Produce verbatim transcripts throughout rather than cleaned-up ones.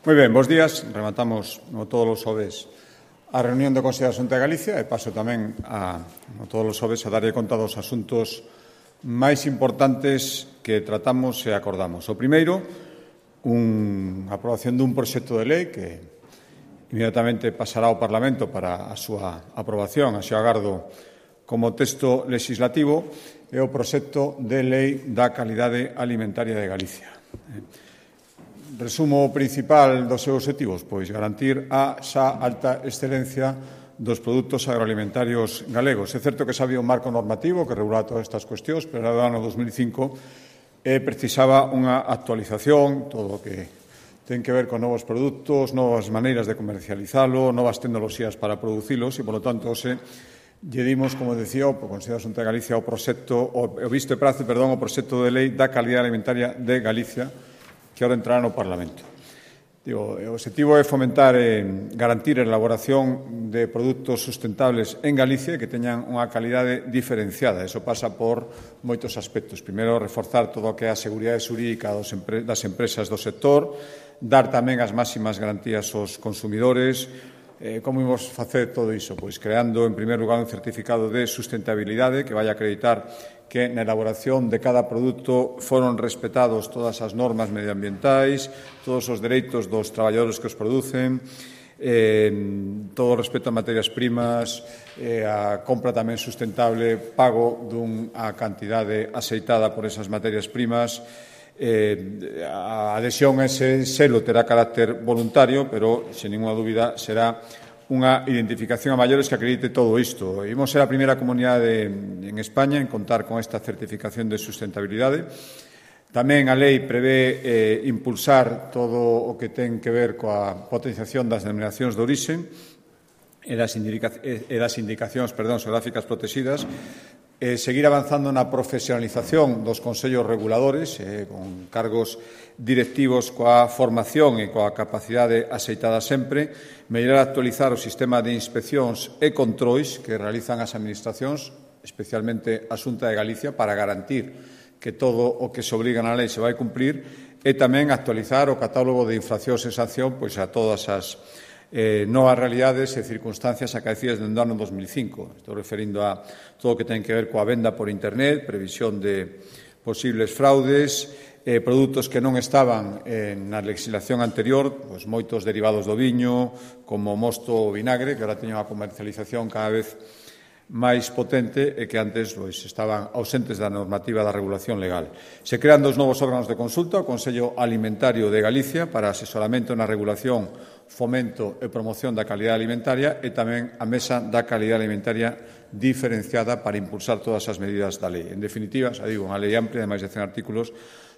Moi ben, bons días. Rematamos, no todos os xoves, a reunión do Consello da Xunta de Galicia e paso tamén, a, no todos os xoves, a darlle conta dos asuntos máis importantes que tratamos e acordamos. O primeiro, unha aprobación dun proxecto de lei que inmediatamente pasará ao Parlamento para a súa aprobación, así agardo como texto legislativo, é o proxecto de lei da calidade alimentaria de Galicia. Resumo o principal dos seus obxectivos, pois garantir a xa alta excelencia dos produtos agroalimentarios galegos. É certo que xa había un marco normativo que regula todas estas cuestións, pero no ano dos mil cinco eh, precisaba unha actualización, todo o que ten que ver con novos produtos, novas maneiras de comercializalo, novas tecnoloxías para producirlos, e, polo tanto, se lle dimos, como decía, o Consello da Xunta de Galicia, o proxecto, o visto e prazo, perdón, o proxecto de lei da calidade alimentaria de Galicia, que ahora entrará no Parlamento. Digo, o objetivo é fomentar e garantir a elaboración de produtos sustentables en Galicia que teñan unha calidade diferenciada. Eso pasa por moitos aspectos. Primeiro, reforzar todo o que é a seguridade xurídica das empresas do sector, dar tamén as máximas garantías aos consumidores. Eh, como imos facer todo iso? Pois creando, en primeiro lugar, un certificado de sustentabilidade que vai a acreditar que na elaboración de cada produto foron respetados todas as normas medioambientais, todos os dereitos dos traballadores que os producen, eh, todo o respecto a materias primas, eh, a compra tamén sustentable, pago dunha cantidade aceitada por esas materias primas. Eh, a adhesión a ese selo terá carácter voluntario, pero, sen ninguna dúbida, será unha identificación a maiores que acredite todo isto. Imos ser a primeira comunidade en España en contar con esta certificación de sustentabilidade. Tamén a lei prevé eh, impulsar todo o que ten que ver coa potenciación das denominacións de orixe e das, indica e das indicacións perdón, xeográficas protegidas, eh, seguir avanzando na profesionalización dos consellos reguladores eh, con cargos directivos coa formación e coa capacidade aceitada sempre, mellorar e actualizar o sistema de inspeccións e controis que realizan as administracións, especialmente a Xunta de Galicia, para garantir que todo o que se obriga na lei se vai cumprir, e tamén actualizar o catálogo de infraccións e sanción pois a todas as eh, novas realidades e circunstancias acaecidas dende o ano dos mil cinco. Estou referindo a todo o que ten que ver coa venda por internet, previsión de posibles fraudes, eh, produtos que non estaban eh, na legislación anterior, pois moitos derivados do viño, como mosto ou vinagre, que agora teñen unha comercialización cada vez máis potente e que antes pois, estaban ausentes da normativa da regulación legal. Se crean dos novos órganos de consulta, o Consello Alimentario de Galicia para asesoramento na regulación, fomento e promoción da calidade alimentaria, e tamén a Mesa da Calidade Alimentaria diferenciada para impulsar todas as medidas da lei. En definitiva, xa digo, unha lei amplia de máis de cen artículos,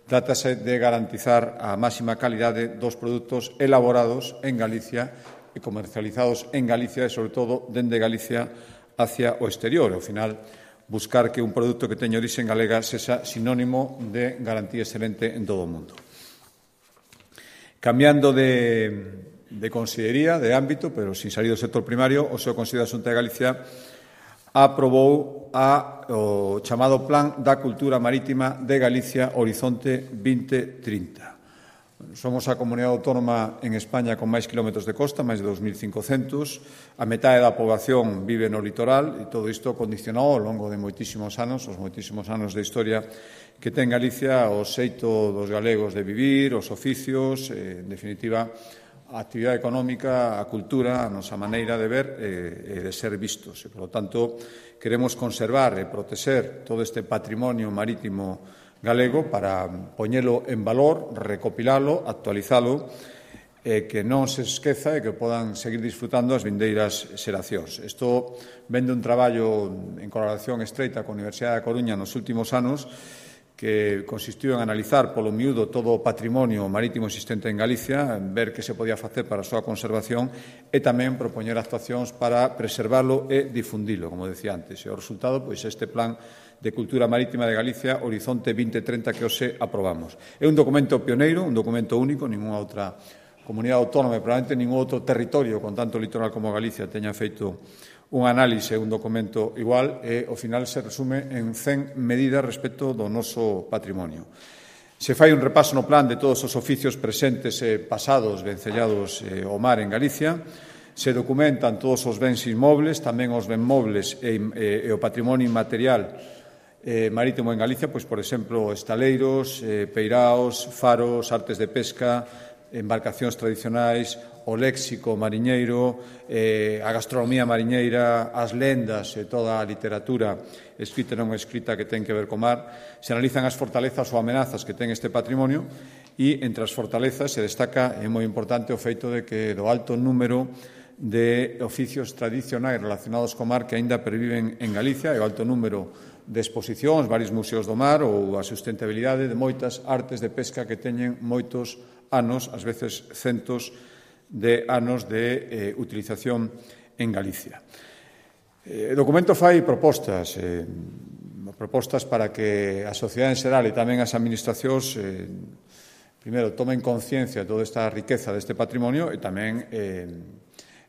trátase de garantizar a máxima calidade dos produtos elaborados en Galicia e comercializados en Galicia e, sobre todo, dende Galicia hacia o exterior. Ao final, buscar que un produto que teña orixe galega sexa sinónimo de garantía excelente en todo o mundo. Cambiando de, de consellería, de ámbito, pero sin salir do sector primario, o seu Consello da Xunta de Galicia aprobou a, o chamado Plan da Cultura Marítima de Galicia Horizonte vinte trinta. Somos a comunidade autónoma en España con máis kilómetros de costa, máis de dos mil cincocentos. A metade da poboación vive no litoral e todo isto condicionou ao longo de moitísimos anos, os moitísimos anos de historia que ten Galicia, o xeito dos galegos de vivir, os oficios, eh, en definitiva, a actividade económica, a cultura, a nosa maneira de ver e de ser vistos. E, por lo tanto, queremos conservar e protexer todo este patrimonio marítimo galego para poñelo en valor, recopilalo, actualizalo, e que non se esqueza e que podan seguir disfrutando as vindeiras xeracións. Isto vende un traballo en colaboración estreita coa Universidade da Coruña nos últimos anos, que consistiu en analizar polo miúdo todo o patrimonio marítimo existente en Galicia, en ver que se podía facer para a súa conservación e tamén propoñer actuacións para preservalo e difundilo, como decía antes. E o resultado, pois, este plan de Cultura Marítima de Galicia, Horizonte vinte trinta, que hoxe aprobamos. É un documento pioneiro, un documento único, ninguna outra comunidade autónoma e probablemente ningún outro territorio con tanto litoral como Galicia teña feito un análise, un documento igual, e ao final se resume en cen medidas respecto do noso patrimonio. Se fai un repaso no plan de todos os oficios presentes e pasados vencellados eh, ao mar en Galicia. Se documentan todos os bens inmobles, tamén os benmobles e, e, e o patrimonio inmaterial eh, marítimo en Galicia, pois, por exemplo, estaleiros, eh, peiraos, faros, artes de pesca, embarcacións tradicionais, o léxico mariñeiro, eh, a gastronomía mariñeira, as lendas e toda a literatura escrita e non escrita que ten que ver co mar. Se analizan as fortalezas ou amenazas que ten este patrimonio e entre as fortalezas se destaca, é moi importante, o feito de que do alto número de oficios tradicionais relacionados co mar que aínda perviven en Galicia e o alto número de exposicións, varios museos do mar ou a sustentabilidade de moitas artes de pesca que teñen moitos anos, ás veces centos de anos de eh, utilización en Galicia. Eh, o documento fai propostas, eh, propostas para que a sociedade en xeral e tamén as administracións eh, primeiro tomen conciencia de toda esta riqueza deste patrimonio e tamén eh,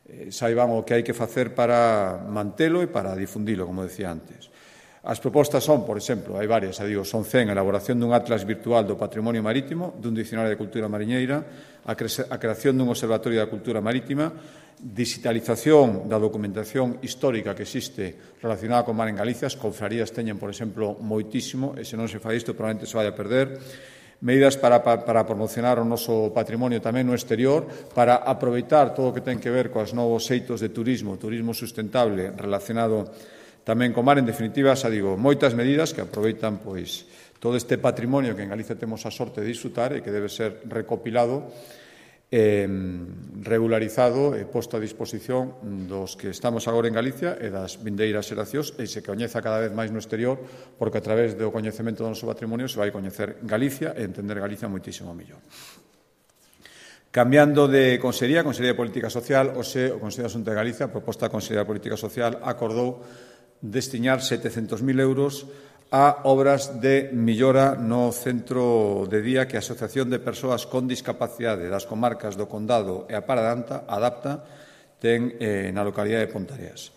eh, saiban o que hai que facer para mantelo e para difundilo, como decía antes. As propostas son, por exemplo, hai varias, digo, son cen, a elaboración dun atlas virtual do patrimonio marítimo, dun dicionario de cultura mariñeira, a, cre a creación dun observatorio da cultura marítima, digitalización da documentación histórica que existe relacionada con mar en Galicia. As confrarías teñen, por exemplo, moitísimo, e se non se fai isto probablemente se vai a perder. Medidas para, para, para promocionar o noso patrimonio tamén no exterior, para aproveitar todo o que ten que ver coas novos xeitos de turismo, turismo sustentable relacionado tamén co mar. En definitiva, xa digo, moitas medidas que aproveitan pois todo este patrimonio que en Galicia temos a sorte de disfrutar e que debe ser recopilado, eh, regularizado e posto a disposición dos que estamos agora en Galicia e das vindeiras xeracións e se coñeza cada vez máis no exterior, porque a través do coñecemento do noso patrimonio se vai coñecer Galicia e entender Galicia moitísimo mellor. Cambiando de Consellería, Consellería de Política Social, o se o Consello de Asunto de Galicia, a proposta da Consellería de Política Social, acordou destinar setecentos mil euros a obras de millora no centro de día que a Asociación de Persoas con Discapacidade das comarcas do Condado e a Paradanta adapta ten eh, na localidade de Pontareas.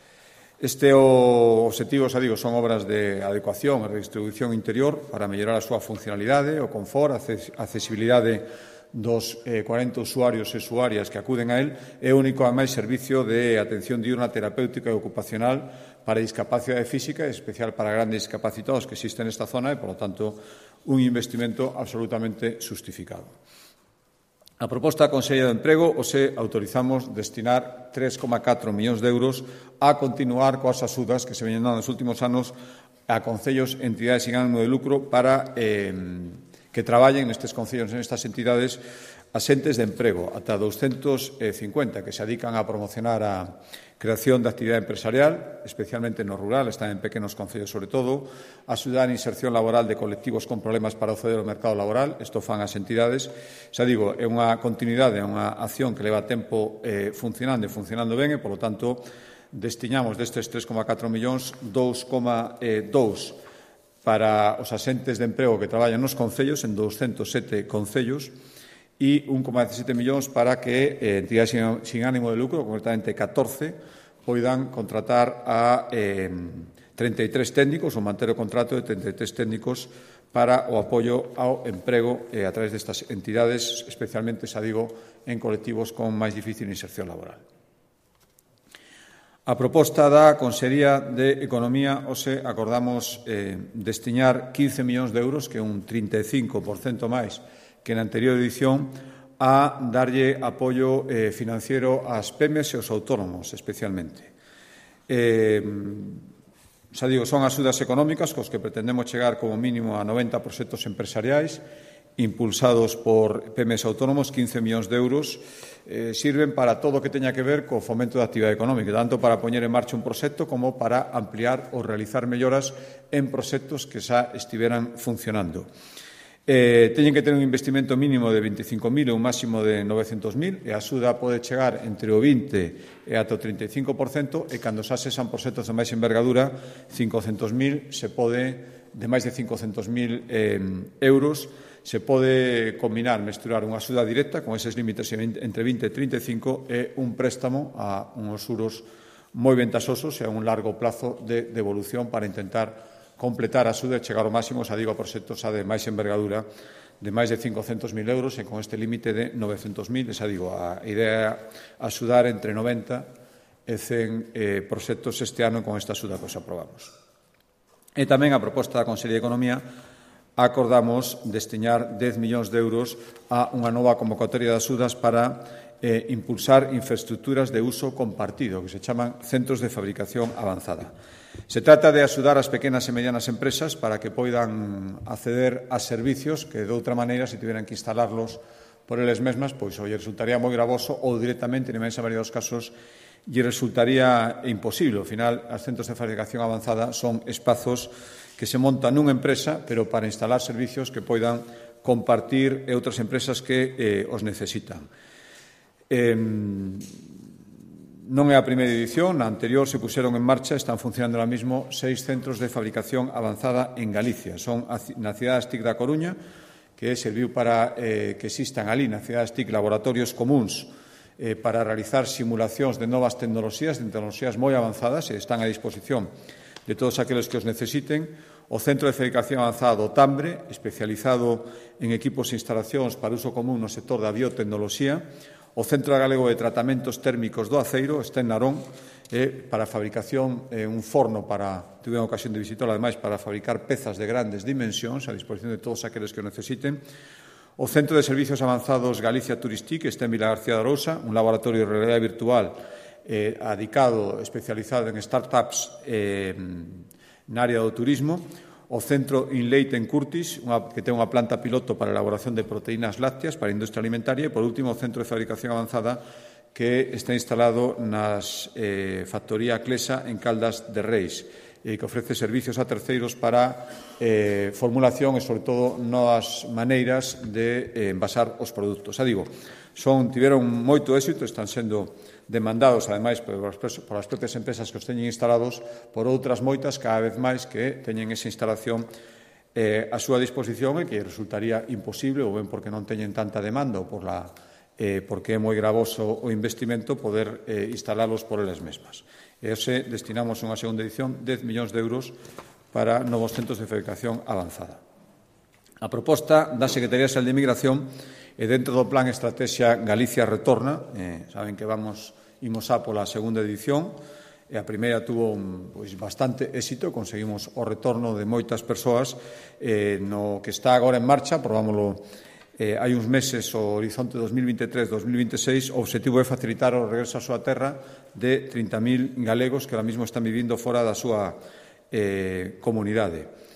Este o obxectivo, xa digo, son obras de adecuación e redistribución interior para mellorar a súa funcionalidade, o confort, a accesibilidade dos eh, cuarenta usuarios e usuarias que acuden a él. É o único, ademais, servicio de atención diurna terapéutica e ocupacional para discapacidade física, en especial para grandes discapacitados que existen nesta zona e, por lo tanto, un investimento absolutamente justificado. A proposta da Consellería de Emprego, o se autorizamos destinar tres coma catro millóns de euros a continuar coas axudas que se veñen dando nos últimos anos a concellos e entidades sin ánimo de lucro para eh, que traballen nestes concellos, nestas entidades, asentes de emprego, ata doscientos cincuenta que se dedican a promocionar a creación de actividade empresarial, especialmente no rural, están en pequenos concellos sobre todo, axudar a inserción laboral de colectivos con problemas para acceder ao mercado laboral, isto fan as entidades. Xa digo, é unha continuidade, é unha acción que leva tempo eh, funcionando e funcionando ben e, polo tanto, destinamos destes tres coma catro millóns, dous coma dous para os asentes de emprego que traballan nos concellos, en doscientos sete concellos, e un coma dezasete millóns para que eh, entidades sin, sin ánimo de lucro, concretamente catorce, poidan contratar a eh, treinta e tres técnicos ou manter o contrato de treinta e tres técnicos para o apoio ao emprego eh, a través destas entidades, especialmente, xa digo, en colectivos con máis difícil inserción laboral. A proposta da Consellería de Economía, hoxe acordamos eh, destinar quince millóns de euros, que é un trinta e cinco por cento máis que na anterior edición, a darlle apoio eh, financiero ás pemes e aos autónomos, especialmente. Eh, xa digo, son axudas económicas cos que pretendemos chegar como mínimo a noventa proxectos empresariais impulsados por pemes autónomos, quince millóns de euros, eh, sirven para todo o que teña que ver co fomento da actividade económica, tanto para poñer en marcha un proxecto como para ampliar ou realizar melloras en proxectos que xa estiveran funcionando. Eh, teñen que ter un investimento mínimo de veinticinco mil e un máximo de novecentos mil, e a axuda pode chegar entre o vinte e ata o trinta e cinco por cento, e cando xa sexan proxectos de máis envergadura, cincocentos mil se pode, de máis de cincocentos mil eh, euros, se pode combinar, mesturar unha axuda directa con eses límites entre vinte e trinta e cinco e un préstamo a uns xuros moi ventaxosos e a un largo plazo de devolución para intentar completar a axuda e chegar ao máximo, xa digo, a proxectos xa de máis envergadura de máis de cincocentos mil euros e con este límite de novecentos mil. Esa digo, a idea é axudar entre noventa e cen eh, proxectos este ano con esta axuda que os aprobamos. E tamén a proposta da Consellería de Economía acordamos destinar dez millóns de euros a unha nova convocatoria de axudas para eh, impulsar infraestructuras de uso compartido, que se chaman centros de fabricación avanzada. Se trata de axudar as pequenas e medianas empresas para que poidan acceder a servicios que, de outra maneira, se tiveran que instalarlos por eles mesmas, pois ou lle resultaría moi gravoso ou directamente, en imensa maioría dos casos, lle resultaría imposible. Ao final, os centros de fabricación avanzada son espazos que se montan nunha empresa, pero para instalar servicios que poidan compartir e outras empresas que eh, os necesitan. Eh, non é a primeira edición, na anterior se puseron en marcha, están funcionando ahora mismo seis centros de fabricación avanzada en Galicia. Son na cidade das T I C da Coruña, que serviu para eh, que existan ali na cidade das T I C laboratorios comuns eh, para realizar simulacións de novas tecnoloxías, de tecnoloxías moi avanzadas, e están a disposición de todos aqueles que os necesiten. O Centro de Fabricación Avanzada do Tambre, especializado en equipos e instalacións para uso común no sector da biotecnoloxía. O Centro Galego de Tratamentos Térmicos do Aceiro, está en Narón, eh, para fabricación, eh, un forno para, tuve a ocasión de visitarlo, ademais, para fabricar pezas de grandes dimensións, a disposición de todos aqueles que o necesiten. O Centro de Servicios Avanzados Galicia Turistic, está en Vila García de Arousa, un laboratorio de realidade virtual eh, adicado, especializado en startups eh, na área do turismo. O Centro Inleite en Curtis, unha, que ten unha planta piloto para a elaboración de proteínas lácteas para a industria alimentaria. E, por último, o Centro de Fabricación Avanzada, que está instalado nas eh, Factoría Clesa en Caldas de Reis, e que ofrece servicios a terceiros para eh, formulación e, sobre todo, novas maneiras de eh, envasar os produtos. Xa digo, son, tiveron moito éxito, están sendo demandados, ademais, por as propias empresas que os teñen instalados, por outras moitas, cada vez máis, que teñen esa instalación eh, a súa disposición e que resultaría imposible, ou ben porque non teñen tanta demanda, ou por la, eh, porque é moi gravoso o investimento, poder eh, instalalos por eles mesmas. E ese destinamos unha segunda edición dez millóns de euros para novos centros de fabricación avanzada. A proposta da Secretaría Xeral de Inmigración e dentro do Plan Estrategia Galicia Retorna, eh, saben que vamos imos a pola segunda edición, e a primeira tuvo pois, bastante éxito, conseguimos o retorno de moitas persoas, eh, no que está agora en marcha, probámoslo eh, hai uns meses, o horizonte dos mil vinte e tres dos mil vinte e seis, o obxectivo é facilitar o regreso á súa terra de trinta mil galegos que ahora mismo están vivindo fora da súa eh, comunidade.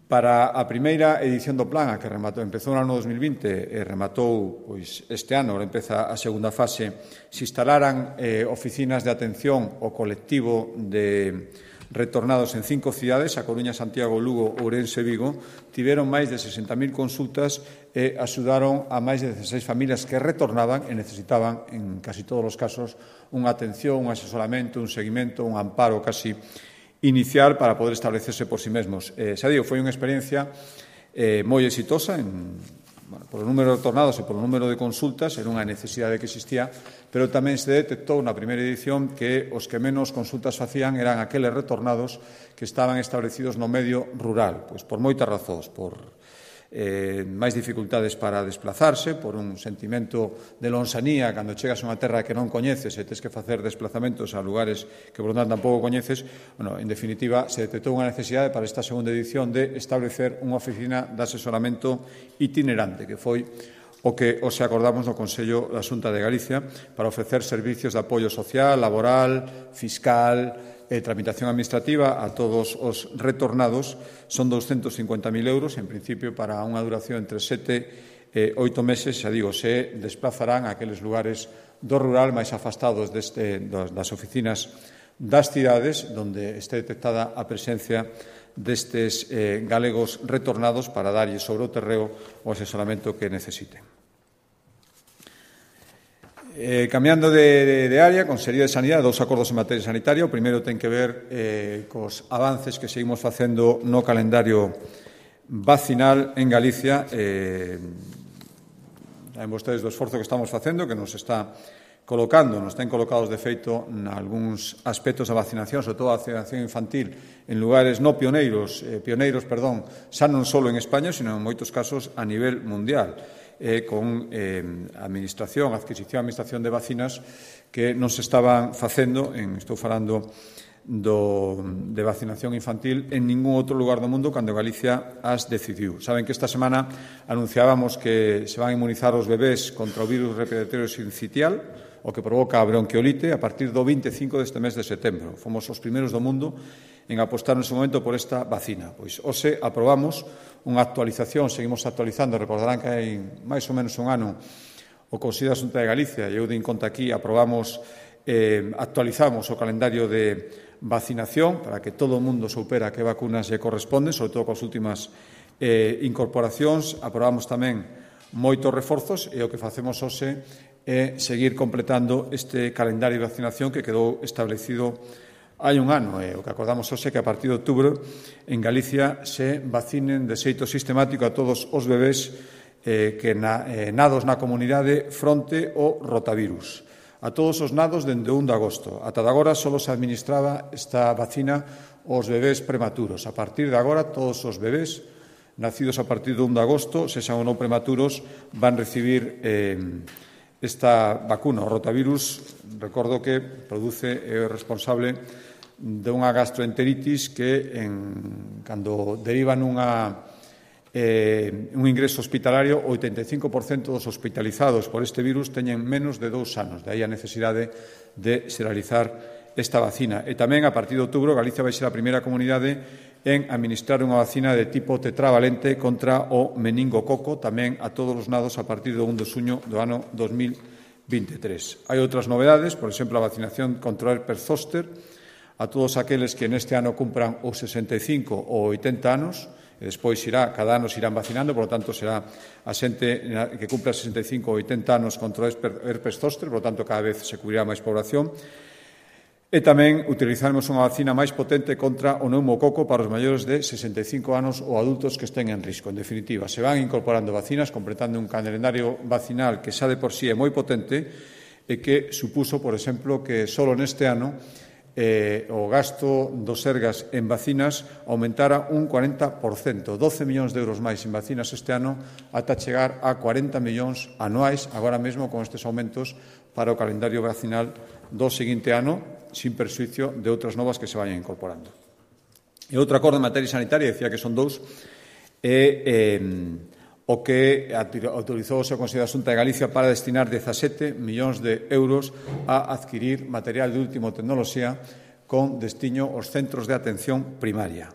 Para a primeira edición do plan, a que rematou, empezou no ano dos mil vinte e rematou pois, este ano, agora empeza a segunda fase, se instalaran eh, oficinas de atención ao colectivo de retornados en cinco cidades, a Coruña, Santiago, Lugo, Ourense e Vigo, tiveron máis de sesenta mil consultas e axudaron a máis de dezasseis familias que retornaban e necesitaban, en casi todos os casos, unha atención, un asesoramento, un seguimento, un amparo casi inicial para poder establecerse por sí mesmos. Eh, xa digo, foi unha experiencia eh, moi exitosa en, bueno, por o número de retornados e por o número de consultas, era unha necesidade que existía, pero tamén se detectou na primeira edición que os que menos consultas facían eran aqueles retornados que estaban establecidos no medio rural, pois por moitas razóns, por eh, máis dificultades para desplazarse, por un sentimento de lonxanía cando chegas a unha terra que non coñeces e tens que facer desplazamentos a lugares que por tanto tampouco coñeces. Bueno, en definitiva, se detectou unha necesidade para esta segunda edición de establecer unha oficina de asesoramento itinerante, que foi o que os acordamos no Consello da Xunta de Galicia para ofrecer servicios de apoio social, laboral, fiscal e tramitación administrativa a todos os retornados. Son doscientos cincuenta mil euros, en principio, para unha duración entre sete e oito meses. Xa digo, se desplazarán a aqueles lugares do rural máis afastados deste, das oficinas das cidades, onde este detectada a presencia destes eh, galegos retornados para darlle sobre o terreo o asesoramento que necesiten. Eh, cambiando de, de, de área, Consellería de Sanidade, dous acordos en materia sanitaria. O primeiro ten que ver eh, cos avances que seguimos facendo no calendario vacinal en Galicia. Eh, saben vostedes do esforzo que estamos facendo, que nos está colocando, nos ten colocados de feito nalgúns aspectos da vacinación, sobre todo a vacinación infantil, en lugares no pioneiros, eh, pioneiros, perdón, xa non só en España, sino en moitos casos a nivel mundial, eh, con eh, administración, adquisición e administración de vacinas que nos estaban facendo, en, estou falando do, de vacinación infantil, en ningún outro lugar do mundo cando Galicia as decidiu. Saben que esta semana anunciábamos que se van a inmunizar os bebés contra o virus respiratorio sincitial, o que provoca a bronquiolite, a partir do vinte e cinco deste mes de setembro. Fomos os primeiros do mundo en apostar nese momento por esta vacina. Pois hoxe aprobamos unha actualización, seguimos actualizando, recordarán que hai máis ou menos un ano o Consello da Xunta de Galicia, e eu din conta aquí, aprobamos, eh, actualizamos o calendario de vacinación para que todo o mundo soupera que vacunas lle corresponden, sobre todo coas últimas eh, incorporacións. Aprobamos tamén moitos reforzos e o que facemos hoxe é seguir completando este calendario de vacinación que quedou establecido hai un ano. E o que acordamos hoxe é que a partir de outubro en Galicia se vacinen de xeito sistemático a todos os bebés eh, que na, eh, nados na comunidade fronte ao rotavirus. A todos os nados dende o un de agosto. Ata de agora só se administraba esta vacina aos bebés prematuros. A partir de agora todos os bebés nacidos a partir do un de agosto, sexan ou non prematuros, van recibir eh, esta vacuna, o rotavirus. Recordo que produce, é responsable de unha gastroenteritis que, en, cando deriva nunha, eh, un ingreso hospitalario, o oitenta e cinco por cento dos hospitalizados por este virus teñen menos de dous anos. De aí a necesidade de se realizar esta vacina. E tamén, a partir de outubro, Galicia vai ser a primeira comunidade en administrar unha vacina de tipo tetravalente contra o meningococo, tamén a todos os nados a partir do un de xuño do ano dos mil vinte e tres. Hai outras novedades, por exemplo, a vacinación contra o herpes zóster a todos aqueles que neste ano cumpran os sesenta e cinco ou oitenta anos, e despois irá, cada ano se irán vacinando, por lo tanto será a xente que cumpra sesenta e cinco ou oitenta anos contra o herpes zóster, por lo tanto cada vez se cubrirá máis población. E tamén utilizaremos unha vacina máis potente contra o neumococo para os maiores de sesenta e cinco anos ou adultos que estén en risco. En definitiva, se van incorporando vacinas, completando un calendario vacinal que xa de por sí é moi potente e que supuso, por exemplo, que só neste ano eh, o gasto dos Sergas en vacinas aumentara un cuarenta por cento, doce millóns de euros máis en vacinas este ano, ata chegar a cuarenta millóns anuais, agora mesmo con estes aumentos para o calendario vacinal do seguinte ano, sin perxuicio de outras novas que se vayan incorporando. E outro acordo en materia sanitaria, decía que son dous, é eh, o que autorizou o Consello da Xunta de Galicia para destinar dezasete millóns de euros a adquirir material de última tecnoloxía con destiño aos centros de atención primaria.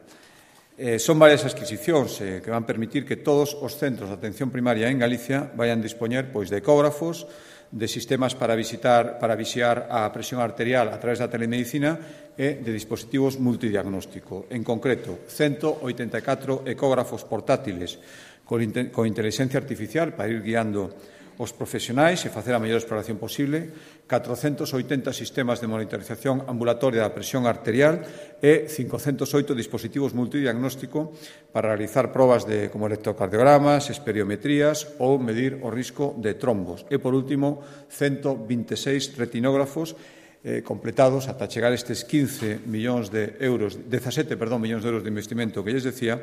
Eh, son varias adquisicións eh, que van permitir que todos os centros de atención primaria en Galicia vayan dispoñer pois, de ecógrafos, de sistemas para visitar, para vixiar a presión arterial a través da telemedicina e de dispositivos multidiagnóstico. En concreto, ciento oitenta e catro ecógrafos portátiles con, con inteligencia artificial para ir guiando os profesionais e facer a mellor exploración posible, catrocentos oitenta sistemas de monitorización ambulatoria da presión arterial e cincocentos oito dispositivos multidiagnóstico para realizar probas de, como electrocardiogramas, esperiometrías ou medir o risco de trombos. E, por último, ciento vinte e seis retinógrafos eh, completados ata chegar estes quince millóns de euros, dezasete, perdón, millóns de euros de investimento que lles decía,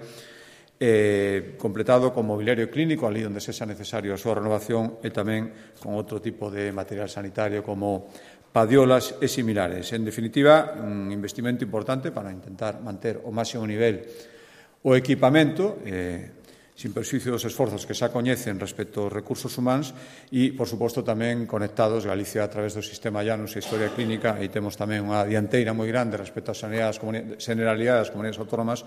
Eh, completado con mobiliario clínico, ali onde sexa necesario a súa renovación, e tamén con outro tipo de material sanitario como padiolas e similares. En definitiva, un investimento importante para intentar manter o máximo nivel o equipamento, eh, sin perxuicio dos esforzos que xa coñecen respecto aos recursos humanos e, por suposto, tamén conectados Galicia a través do sistema Llanos e Historia Clínica, e temos tamén unha dianteira moi grande respecto ás generalidades das comunidades autónomas,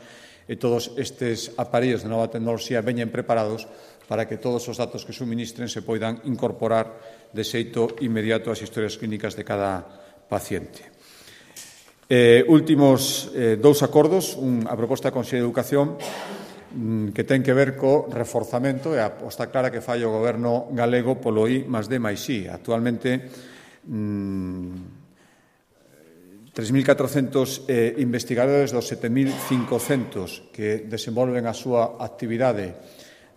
e todos estes aparellos de nova tecnoloxía veñen preparados para que todos os datos que suministren se poidan incorporar de xeito inmediato ás historias clínicas de cada paciente. Eh, últimos eh, dous acordos, un, a proposta da Consello de Educación, que ten que ver co reforzamento e a aposta clara que fai o Goberno galego polo I máis D máis I. Actualmente, mmm, tres mil catrocentos eh, investigadores dos sete mil cincocentos que desenvolven a súa actividade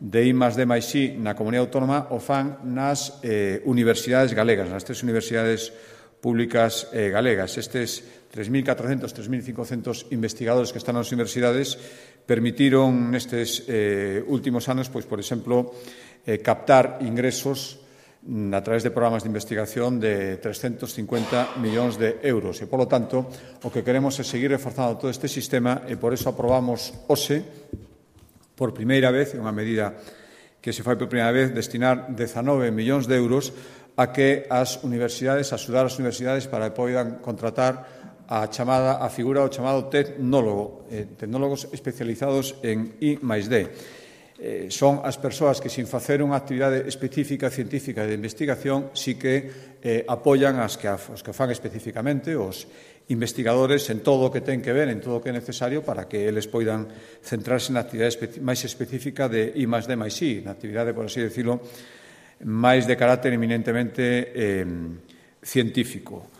de I más D máis I na comunidade autónoma o fan nas eh, universidades galegas, nas tres universidades públicas eh, galegas. Estes tres mil catrocentos, tres mil cincocentos investigadores que están nas universidades permitiron nestes eh, últimos anos, pois, por exemplo, eh, captar ingresos a través de programas de investigación de trescentos cincuenta millóns de euros. E, polo tanto, o que queremos é seguir reforzando todo este sistema e, por eso, aprobamos hoxe, por primeira vez, unha medida que se fai por primeira vez, destinar dezanove millóns de euros a que as universidades, axudar as universidades para que poidan contratar a chamada, a figura do chamado tecnólogo, eh, tecnólogos especializados en I máis D. Eh, son as persoas que, sin facer unha actividade específica científica de investigación, sí que eh, apoian as que, os que fan especificamente, os investigadores, en todo o que ten que ver, en todo o que é necesario para que eles poidan centrarse na actividade espe máis específica de I máis D máis I, na actividade, por así decirlo, máis de carácter eminentemente eh, científico.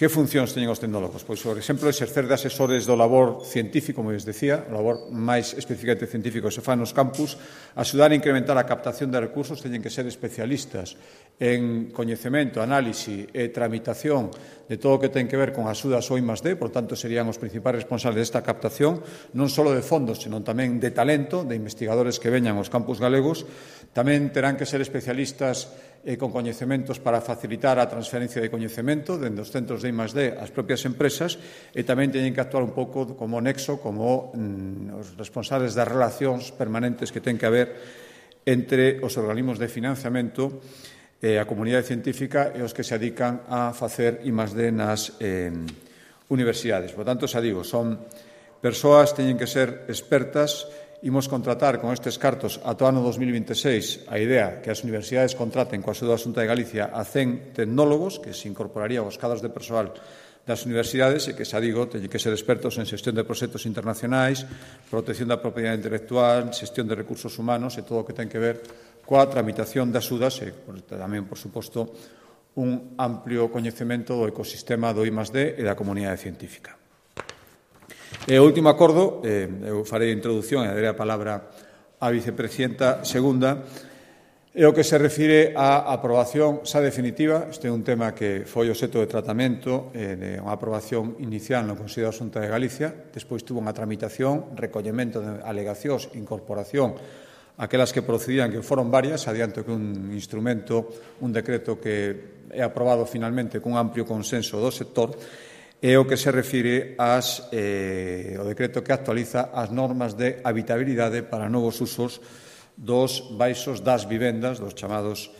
Que funcións teñen os tecnólogos? Pois, por exemplo, exercer de asesores do labor científico, como les decía, o labor máis especificamente científico que se fa nos campus, axudar a incrementar a captación de recursos, teñen que ser especialistas en coñecemento, análise e tramitación de todo o que ten que ver con axudas ao I más D, por tanto, serían os principais responsables desta captación, non só de fondos, senón tamén de talento, de investigadores que veñan aos campus galegos. Tamén terán que ser especialistas eh, con coñecementos para facilitar a transferencia de coñecemento dende os centros de I más D ás propias empresas, e tamén teñen que actuar un pouco como nexo, como mm, os responsables das relacións permanentes que ten que haber entre os organismos de financiamento, eh, a comunidade científica e os que se dedican a facer I más D nas eh, universidades. Por tanto, xa digo, son persoas, teñen que ser expertas. Imos contratar con estes cartos ata o ano dos mil vinte e seis a idea que as universidades contraten coa axuda da Xunta de Galicia a cen tecnólogos que se incorporarían aos cadros de persoal das universidades e que, xa digo, teñen que ser expertos en xestión de proxectos internacionais, protección da propiedade intelectual, xestión de recursos humanos e todo o que ten que ver coa tramitación de axudas e tamén, por suposto, un amplio coñecemento do ecosistema do I más D e da comunidade científica. E o último acordo, eh, eu farei a introdución e darei a palabra á vicepresidenta segunda, é o que se refire á aprobación xa definitiva. Este é un tema que foi obxecto de tratamento, eh, de unha aprobación inicial no Consello da Xunta de Galicia, despois tuvo unha tramitación, recollemento de alegacións, incorporación, aquelas que procedían, que foron varias, adianto que un instrumento, un decreto que é aprobado finalmente cun amplio consenso do sector, é o que se refire ás, eh, o decreto que actualiza as normas de habitabilidade para novos usos dos baixos das vivendas, dos chamados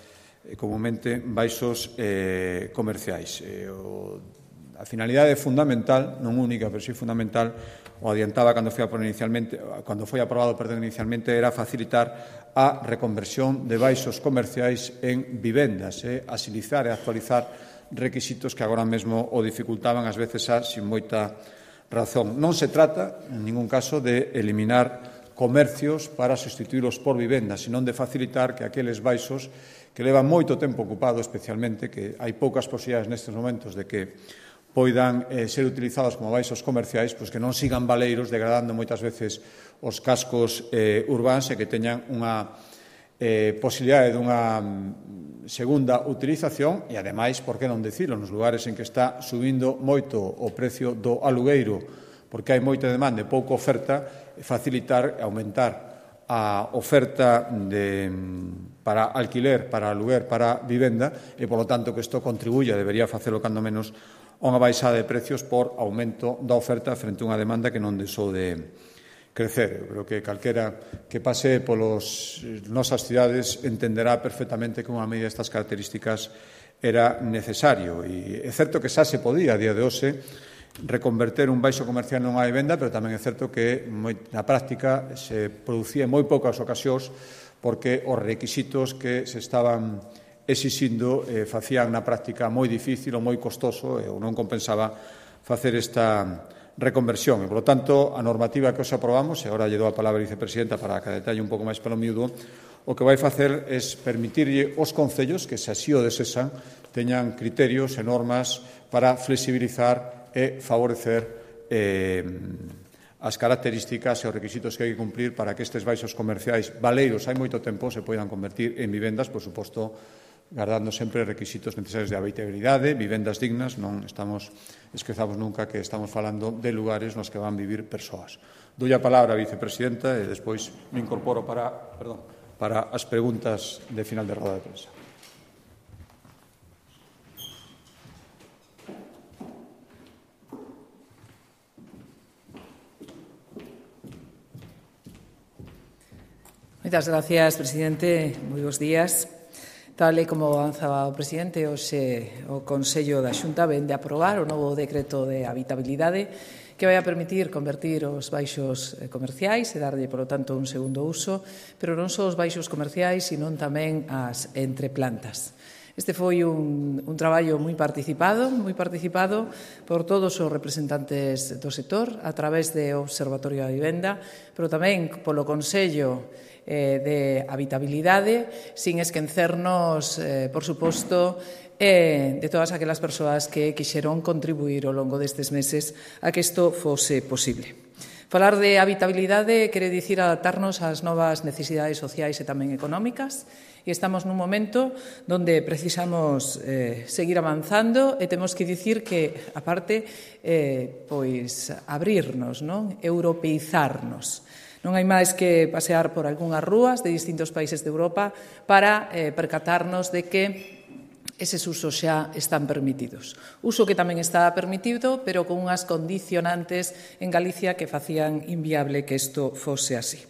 eh, comumente baixos eh, comerciais. Eh, o, a finalidade fundamental, non única, pero sí fundamental, o adiantaba cando foi aprobado inicialmente, cando foi aprobado, perdón, inicialmente, era facilitar a reconversión de baixos comerciais en vivendas, eh, asilizar e actualizar requisitos que agora mesmo o dificultaban ás veces a sin moita razón. Non se trata, en ningún caso, de eliminar comercios para sustituílos por vivendas, senón de facilitar que aqueles baixos que levan moito tempo ocupado, especialmente, que hai poucas posibilidades nestes momentos de que poidan eh, ser utilizados como baixos comerciais, pois que non sigan baleiros degradando moitas veces os cascos eh, urbáns e que teñan unha eh, posibilidade dunha segunda utilización e, ademais, por que non dicilo, nos lugares en que está subindo moito o precio do alugueiro, porque hai moita demanda e pouca oferta, facilitar e aumentar a oferta de, para alquiler, para aluguer, para vivenda e, polo tanto, que isto contribuya, debería facelo cando menos, a unha baixada de precios por aumento da oferta frente a unha demanda que non deixou de crecer. Eu creo que calquera que pase polas nosas cidades entenderá perfectamente que unha medida destas características era necesario. E é certo que xa se podía, a día de hoxe, reconverter un baixo comercial nunha vivenda, pero tamén é certo que na práctica se producía en moi poucas ocasións porque os requisitos que se estaban exixindo eh, facían na práctica moi difícil ou moi costoso e non compensaba facer esta reconversión. E, polo tanto, a normativa que os aprobamos, e agora lle dou a palabra a vicepresidenta para que detalle un pouco máis pelo miúdo, o que vai facer é permitirlle aos concellos que, se así o desesan, teñan criterios e normas para flexibilizar e favorecer eh, as características e os requisitos que hai que cumplir para que estes baixos comerciais valeiros hai moito tempo se poidan convertir en vivendas, por suposto, guardando sempre requisitos necesarios de habitabilidade, vivendas dignas, non estamos, esquezamos nunca que estamos falando de lugares nos que van vivir persoas. Doi a palabra á vicepresidenta e despois me incorporo para, perdón, para as preguntas de final de roda de prensa. Moitas gracias, presidente. Moi bons días. Tal e como avanzaba o presidente, hoxe o Consello da Xunta vén de aprobar o novo decreto de habitabilidade que vai a permitir convertir os baixos comerciais e darlle, polo tanto, un segundo uso, pero non só os baixos comerciais, sino tamén as entreplantas. Este foi un, un traballo moi participado, moi participado por todos os representantes do sector a través do Observatorio da Vivenda, pero tamén polo Consello eh, de Habitabilidade, sin esquecernos, eh, por suposto, eh, de todas aquelas persoas que quixeron contribuir ao longo destes meses a que isto fose posible. Falar de habitabilidade quere dicir adaptarnos ás novas necesidades sociais e tamén económicas, e estamos nun momento onde precisamos eh, seguir avanzando e temos que dicir que, aparte, eh, pois abrirnos, non? Europeizarnos. Non hai máis que pasear por algunhas rúas de distintos países de Europa para eh, percatarnos de que eses usos xa están permitidos. Uso que tamén está permitido, pero con unhas condicionantes en Galicia que facían inviable que isto fose así.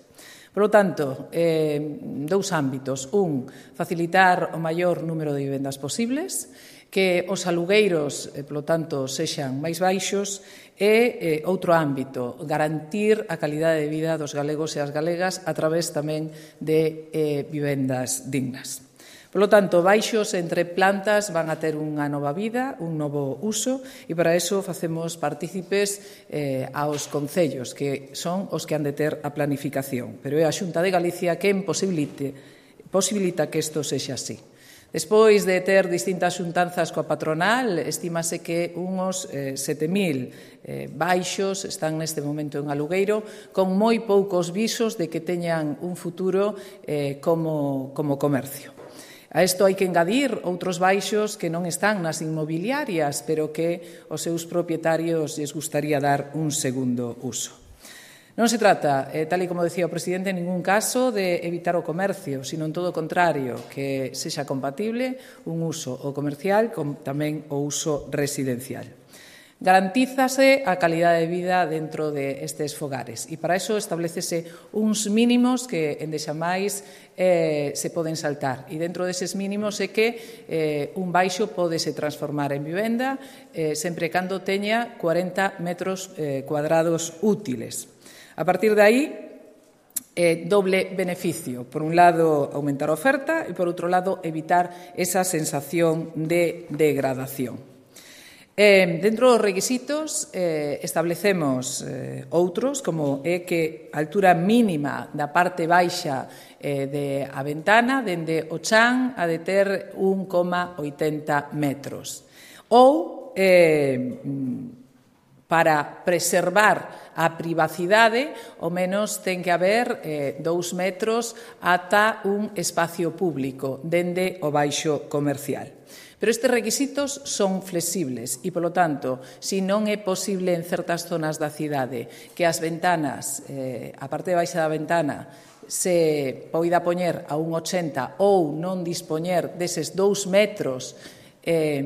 Por lo tanto, eh, dous ámbitos. Un, facilitar o maior número de vivendas posibles, que os alugueiros, eh, polo tanto, sexan máis baixos, e eh, outro ámbito, garantir a calidade de vida dos galegos e as galegas a través tamén de eh, vivendas dignas. Por lo tanto, baixos entre plantas van a ter unha nova vida, un novo uso, e para iso facemos partícipes eh, aos concellos, que son os que han de ter a planificación. Pero é a Xunta de Galicia quen posibilite, posibilita que isto sexa así. Despois de ter distintas xuntanzas coa patronal, estímase que uns eh, sete mil eh, baixos están neste momento en alugueiro, con moi poucos visos de que teñan un futuro eh, como, como comercio. A isto hai que engadir outros baixos que non están nas inmobiliarias, pero que os seus propietarios lles gustaría dar un segundo uso. Non se trata, eh, tal e como decía o presidente, en ningún caso de evitar o comercio, sino en todo o contrario, que sexa compatible un uso o comercial con tamén o uso residencial. Garantízase a calidade de vida dentro destes fogares e para iso establecese uns mínimos que endexamais eh, se poden saltar e dentro deses mínimos é que eh, un baixo pódese transformar en vivenda eh, sempre cando teña cuarenta metros eh, cuadrados útiles. A partir de aí, eh, doble beneficio. Por un lado, aumentar a oferta e, por outro lado, evitar esa sensación de degradación. Eh, dentro dos requisitos eh, establecemos eh, outros, como é que a altura mínima da parte baixa eh, de a ventana, dende o chan, a de ter un coma oitenta metros. Ou, eh, para preservar a privacidade, ao menos ten que haber eh, dous metros ata un espacio público dende o baixo comercial. Pero estes requisitos son flexibles e, polo tanto, se non é posible en certas zonas da cidade que as ventanas, eh, a parte baixa da ventana, se poida poñer a un ochenta ou non dispoñer deses dous metros eh,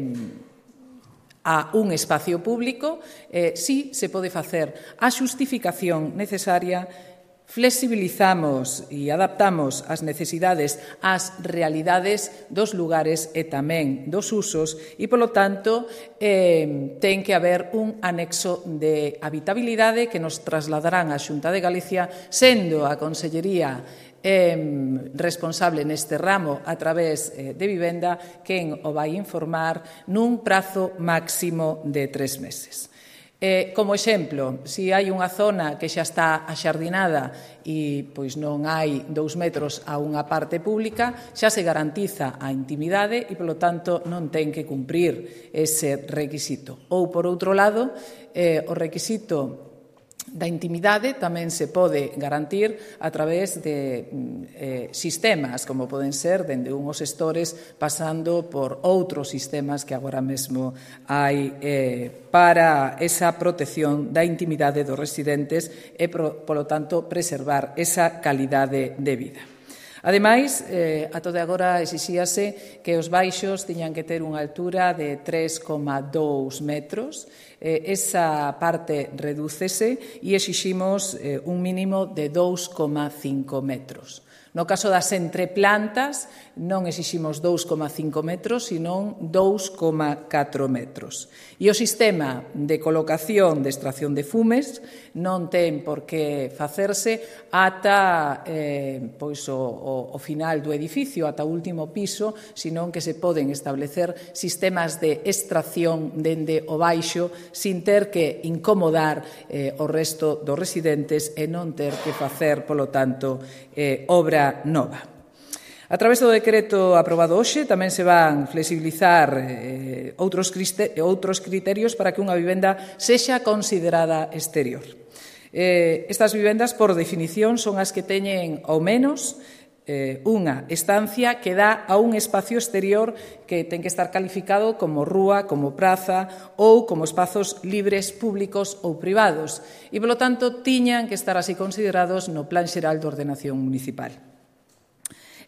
a un espacio público, eh, sí se pode facer a xustificación necesaria, flexibilizamos e adaptamos as necesidades ás realidades dos lugares e tamén dos usos e, polo tanto, eh, ten que haber un anexo de habitabilidade que nos trasladarán á Xunta de Galicia, sendo a Consellería eh, responsable neste ramo a través eh, de vivenda quen o vai informar nun prazo máximo de tres meses. Eh, como exemplo, se hai unha zona que xa está axardinada e pois non hai dous metros a unha parte pública, xa se garantiza a intimidade e, polo tanto, non ten que cumprir ese requisito. Ou, por outro lado, eh, o requisito da intimidade tamén se pode garantir a través de eh, sistemas, como poden ser dende unhos xestores pasando por outros sistemas que agora mesmo hai eh, para esa protección da intimidade dos residentes e, polo tanto, preservar esa calidade de vida. Ademais, eh, a todo agora exixíase que os baixos tiñan que ter unha altura de tres coma dous metros. Eh, esa parte redúcese e exiximos eh, un mínimo de dous coma cinco metros. No caso das entreplantas, non exiximos dous coma cinco metros, senón dous coma catro metros. E o sistema de colocación de extracción de fumes non ten por que facerse ata eh, pois o, o, o final do edificio, ata o último piso, senón que se poden establecer sistemas de extracción dende o baixo sin ter que incomodar eh, o resto dos residentes e non ter que facer, polo tanto, eh, obra nova. A través do decreto aprobado hoxe tamén se van flexibilizar eh, outros, outros criterios para que unha vivenda sexa considerada exterior. Eh, estas vivendas, por definición, son as que teñen ao menos eh, unha estancia que dá a un espacio exterior que ten que estar calificado como rúa, como praza ou como espazos libres, públicos ou privados e, polo tanto, tiñan que estar así considerados no Plan Xeral de Ordenación Municipal.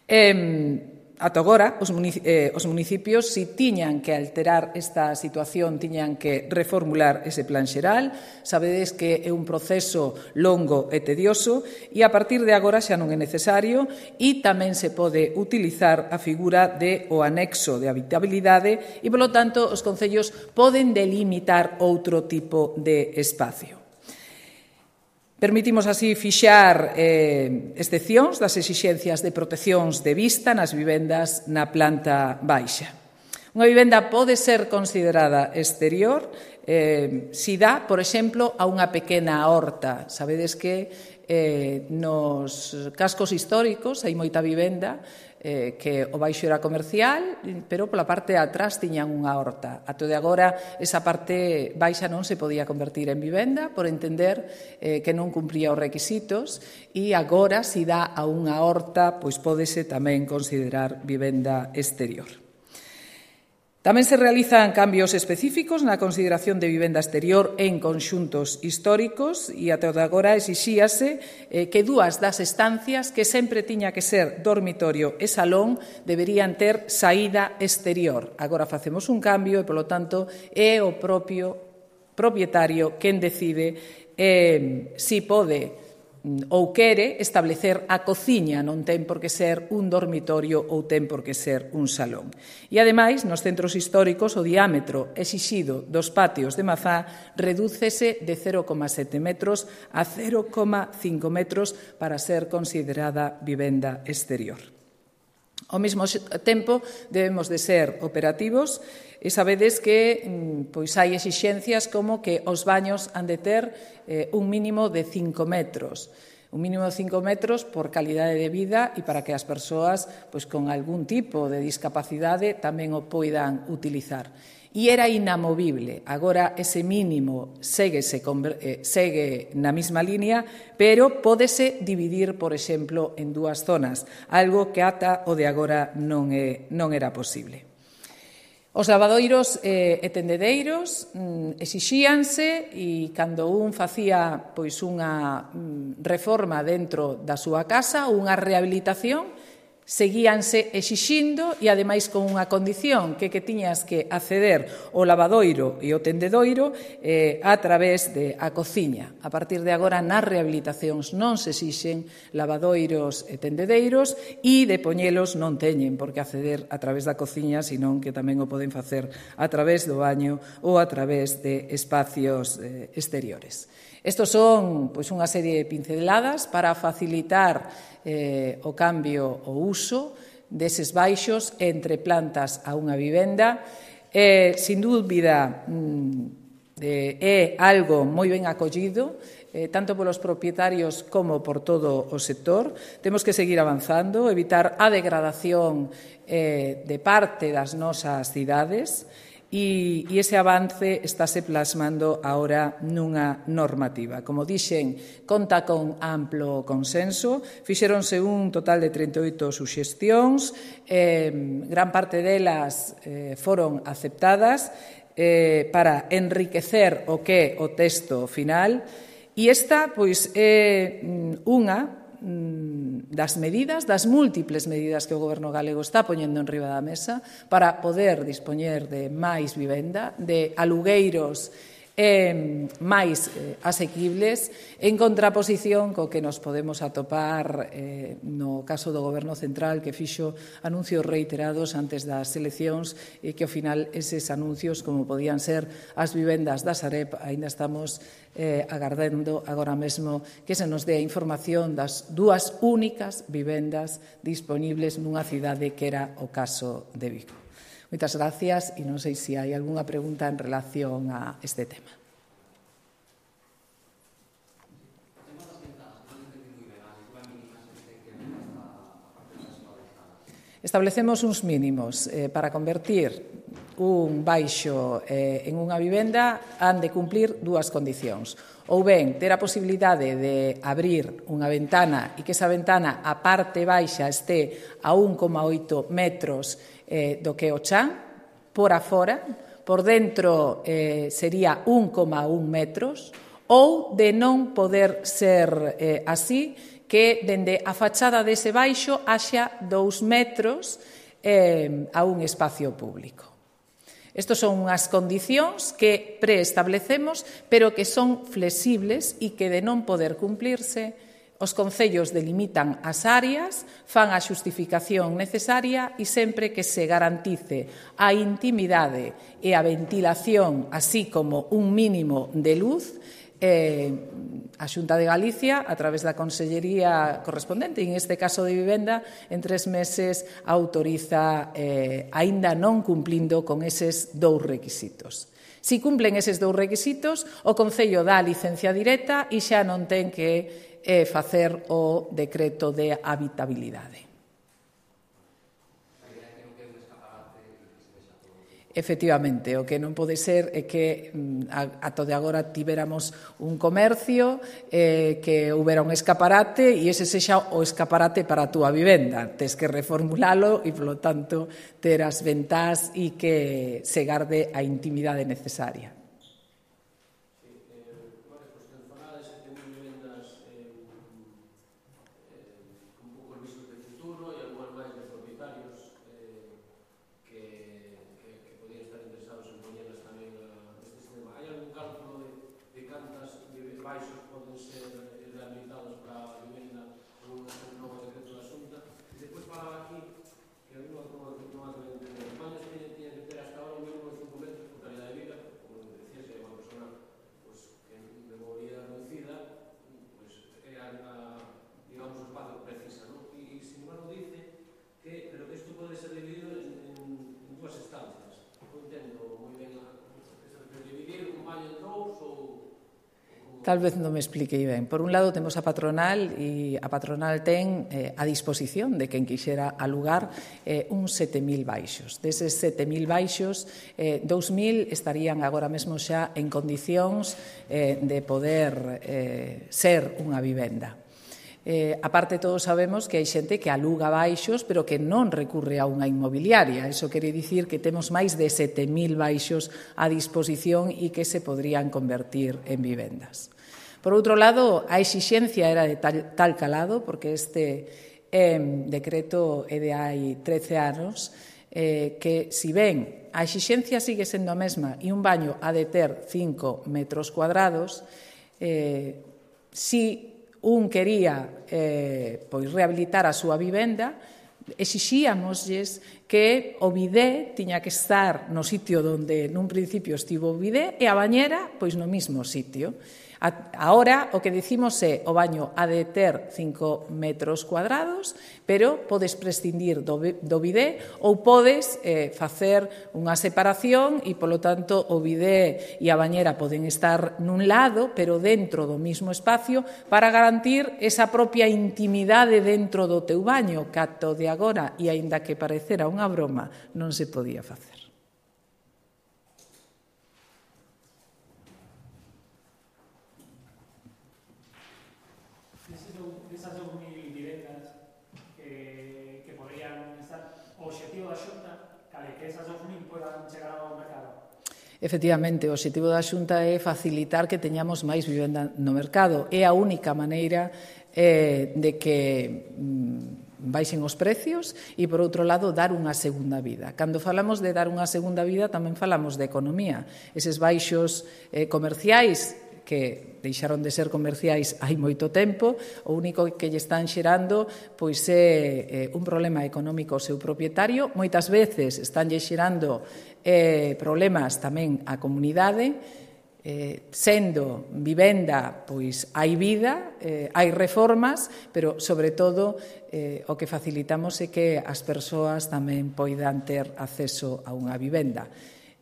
Eh, ata agora, os, eh, os municipios, si tiñan que alterar esta situación, tiñan que reformular ese plan xeral. Sabedes que é un proceso longo e tedioso e a partir de agora xa non é necesario e tamén se pode utilizar a figura de o anexo de habitabilidade e, polo tanto, os concellos poden delimitar outro tipo de espacio. Permitimos así fixar eh, excepcións das exixencias de proteccións de vista nas vivendas na planta baixa. Unha vivenda pode ser considerada exterior eh, si dá, por exemplo, a unha pequena horta. Sabedes que eh, nos cascos históricos hai moita vivenda eh, que o baixo era comercial, pero pola parte de atrás tiñan unha horta. Ato de agora, esa parte baixa non se podía convertir en vivenda por entender eh, que non cumpría os requisitos e agora, se dá a unha horta, pois pódese tamén considerar vivenda exterior. Tamén se realizan cambios específicos na consideración de vivenda exterior en conxuntos históricos e até agora exixíase eh, que dúas das estancias que sempre tiña que ser dormitorio e salón deberían ter saída exterior. Agora facemos un cambio e, polo tanto, é o propio propietario quen decide eh, si pode ou quere establecer a cociña, non ten por que ser un dormitorio ou ten por que ser un salón. E, ademais, nos centros históricos o diámetro exixido dos patios de Mazá redúcese de cero coma sete metros a cero coma cinco metros para ser considerada vivenda exterior. Ao mesmo tempo, debemos de ser operativos e sabedes que pois hai exixencias como que os baños han de ter eh, un mínimo de cinco metros. Un mínimo de cinco metros por calidade de vida e para que as persoas pois, con algún tipo de discapacidade tamén o poidan utilizar. E era inamovible. Agora ese mínimo segue, se, eh, segue na mesma línea, pero pódese dividir, por exemplo, en dúas zonas, algo que ata o de agora non, é, non era posible. Os lavadoiros eh, e tendedeiros mm, exixíanse e cando un facía pois, unha mm, reforma dentro da súa casa, unha rehabilitación, seguíanse exixindo e, ademais, con unha condición que que tiñas que acceder ao lavadoiro e ao tendedoiro eh, a través de a cociña. A partir de agora, nas rehabilitacións non se exixen lavadoiros e tendedeiros e de poñelos non teñen por que acceder a través da cociña, senón que tamén o poden facer a través do baño ou a través de espacios eh, exteriores. Estos son pois, unha serie de pinceladas para facilitar eh, o cambio o uso deses baixos entre plantas a unha vivenda. Eh, sin dúbida, mm, eh, é algo moi ben acollido, eh, tanto polos propietarios como por todo o sector. Temos que seguir avanzando, evitar a degradación eh, de parte das nosas cidades E, e ese avance estáse plasmando agora nunha normativa. Como dixen, conta con amplo consenso, fixéronse un total de trinta e oito suxestións, eh, gran parte delas eh, foron aceptadas eh, para enriquecer o que é o texto final, e esta pois, é unha das medidas, das múltiples medidas que o Goberno galego está poñendo en riba da mesa para poder dispoñer de máis vivenda, de alugueiros eh, máis eh, asequibles, en contraposición co que nos podemos atopar eh, no caso do Goberno central, que fixo anuncios reiterados antes das eleccións e que ao final eses anuncios, como podían ser as vivendas da Sareb, aínda estamos eh, agardando agora mesmo que se nos dé a información das dúas únicas vivendas disponibles nunha cidade que era o caso de Vigo. Moitas gracias e non sei se hai algunha pregunta en relación a este tema. Establecemos uns mínimos eh, para convertir un baixo eh, en unha vivenda, han de cumplir dúas condicións. Ou ben, ter a posibilidade de abrir unha ventana e que esa ventana, a parte baixa, este a un coma oito metros eh, do que o chan, por afora, por dentro eh, sería un coma un metros, ou de non poder ser eh, así, que dende a fachada dese baixo haxa dous metros eh, a un espacio público. Estos son unhas condicións que preestablecemos, pero que son flexibles e que, de non poder cumplirse, os concellos delimitan as áreas, fan a xustificación necesaria e sempre que se garantice a intimidade e a ventilación, así como un mínimo de luz, Eh, a Xunta de Galicia, a través da Consellería correspondente, en este caso de vivenda, en tres meses autoriza, eh, aínda non cumplindo con eses dous requisitos. Si cumplen eses dous requisitos, o Concello dá a licencia directa e xa non ten que eh, facer o decreto de habitabilidade. Efectivamente, o que non pode ser é que ata de agora tiveramos un comercio, eh, que houbera un escaparate e ese sexa o escaparate para a túa vivenda. Tes que reformulalo e, polo tanto, ter as ventás e que se garde a intimidade necesaria. Tal vez non me expliquei ben. Por un lado, temos a patronal e a patronal ten eh, a disposición de quen quixera alugar eh, uns sete mil baixos. Deses sete mil baixos, eh, dous mil estarían agora mesmo xa en condicións eh, de poder eh, ser unha vivenda. Eh, a parte, todos sabemos que hai xente que aluga baixos, pero que non recurre a unha inmobiliaria. Iso quere dicir que temos máis de sete mil baixos a disposición e que se podrían convertir en vivendas. Por outro lado, a exixencia era de tal, tal calado, porque este eh, decreto é de hai trece anos, eh, que, si ben a exixencia sigue sendo a mesma e un baño ha de ter cinco metros cuadrados, eh, si un quería eh, pois rehabilitar a súa vivenda, exixíamosles que o bidé tiña que estar no sitio onde nun principio estivo o bidé e a bañera pois no mismo sitio. Ahora o que dicimos é o baño ha de ter cinco metros cuadrados, pero podes prescindir do, do bidé ou podes eh, facer unha separación e, polo tanto, o bidé e a bañera poden estar nun lado, pero dentro do mismo espacio, para garantir esa propia intimidade dentro do teu baño, que ato de agora, e aínda que parecera unha broma, non se podía facer. desas dous mil vivendas que, que podrían estar o objetivo da Xunta, cale, que esas dous mil podan chegar ao mercado? Efectivamente, o objetivo da Xunta é facilitar que teñamos máis vivenda no mercado. É a única maneira eh, de que mm, baixen os precios e, por outro lado, dar unha segunda vida. Cando falamos de dar unha segunda vida, tamén falamos de economía. Eses baixos eh, comerciais que deixaron de ser comerciais hai moito tempo, o único que lle están xerando pois é eh, un problema económico ao seu propietario, moitas veces están lle xerando eh, problemas tamén á comunidade, eh, sendo vivenda, pois hai vida, eh, hai reformas, pero sobre todo eh, o que facilitamos é que as persoas tamén poidan ter acceso a unha vivenda.